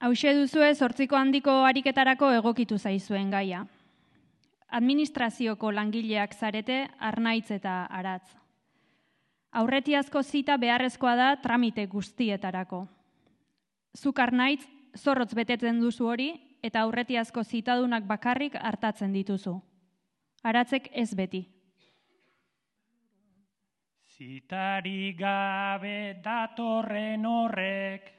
Hauxe duzue 8 handiko ariketarako egokitu zaizuen gaia. Administrazioko langileak zarete Arnaitz eta Aratz. Aurretiazko zita beharrezkoa da tramite guztietarako. Zuk Arnaitz zorrotz betetzen duzu hori eta aurretiazko zitadunak bakarrik hartatzen dituzu. Aratzek ez beti. Zitari gabe datorren horrek,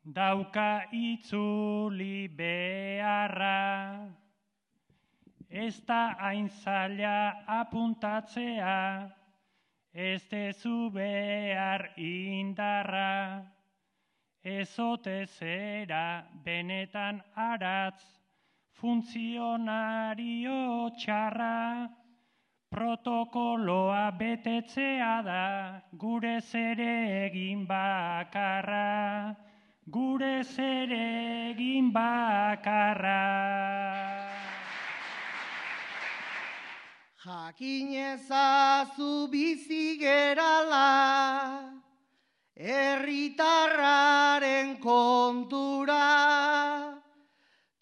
dauka itzuli beharra. Ez da hain zaila apuntatzea, ez dezu behar indarra. Ez ote zera benetan Aratz, funtzionario txarra. Protokoloa betetzea da gure zeregin bakarra. Gure zeregin bakarra. Jakin ezazu bizi gerala, herritarraren kontura,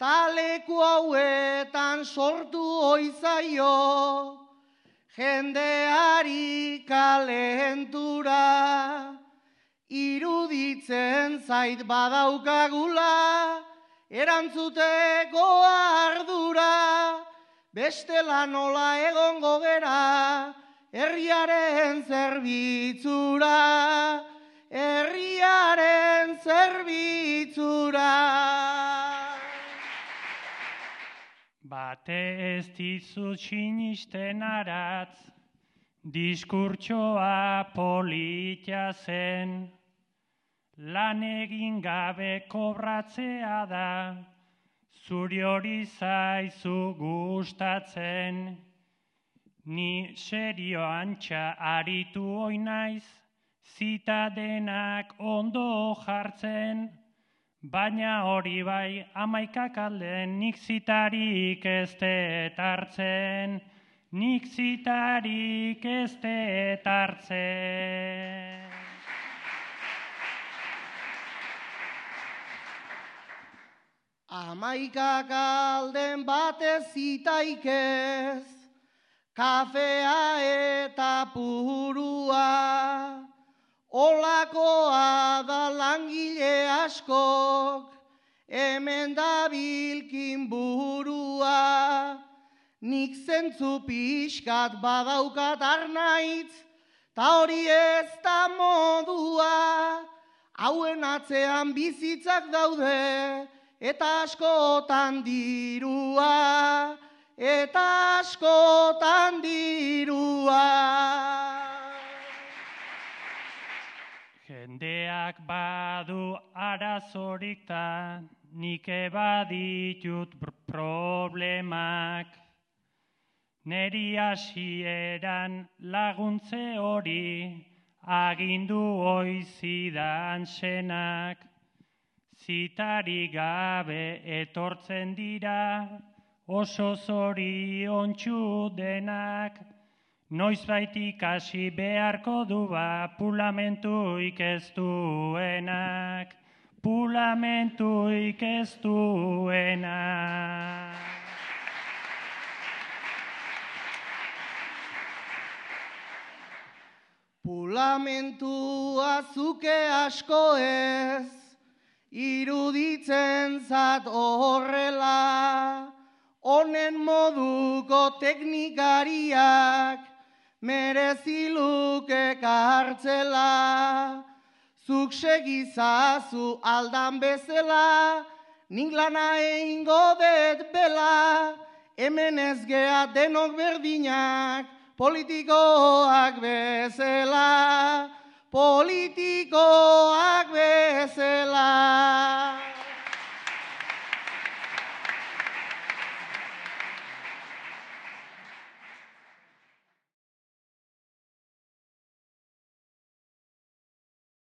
taleku hauetan sortu oizaio, jendeari kalentura. Iruditzen zait badaukagula, erantzuteko ardura, bestela nola egongo gera, herriaren zerbitzura, herriaren zerbitzura. Bate ez dizut sinisten Aratz, diskurtsoa polita zen, lan egin gabe kobratzea da, zuri hori zaizu gustatzen. Ni serioantxa aritu oinaiz, zita denak ondo jartzen, baina hori bai 11 alden nik zitarik ez dut hartzen, nik zitarik ez dut hartzen. Hamaikak alden batez zitaikez, kafea eta purua, olakoa da langile askok, hemen dabilkin burua. Nik zentzu pixkat badaukat Arnaitz, ta hori ez da modua. Hauen atzean bizitzak daude, eta askotan dirua, eta askotan dirua. Jendeak badu arazorik ta, nik baditut problemak. Neri hasieran laguntze hori, agindu oizidan senak. Zitari gabe etortzen dira, oso zoriontsu denak. Noizbait hasi beharko du pulamentuik ez duenak, pulamentuik ez duenak. Pulamentua zuke asko ez, iruditzen zat horrela, honen moduko teknikariak merezi luke kartzela. Zuk segizazu aldan bezala, nik lana egingo dut bela, hemen ez gea denok berdinak, politikoak bezala, politikoak bezala.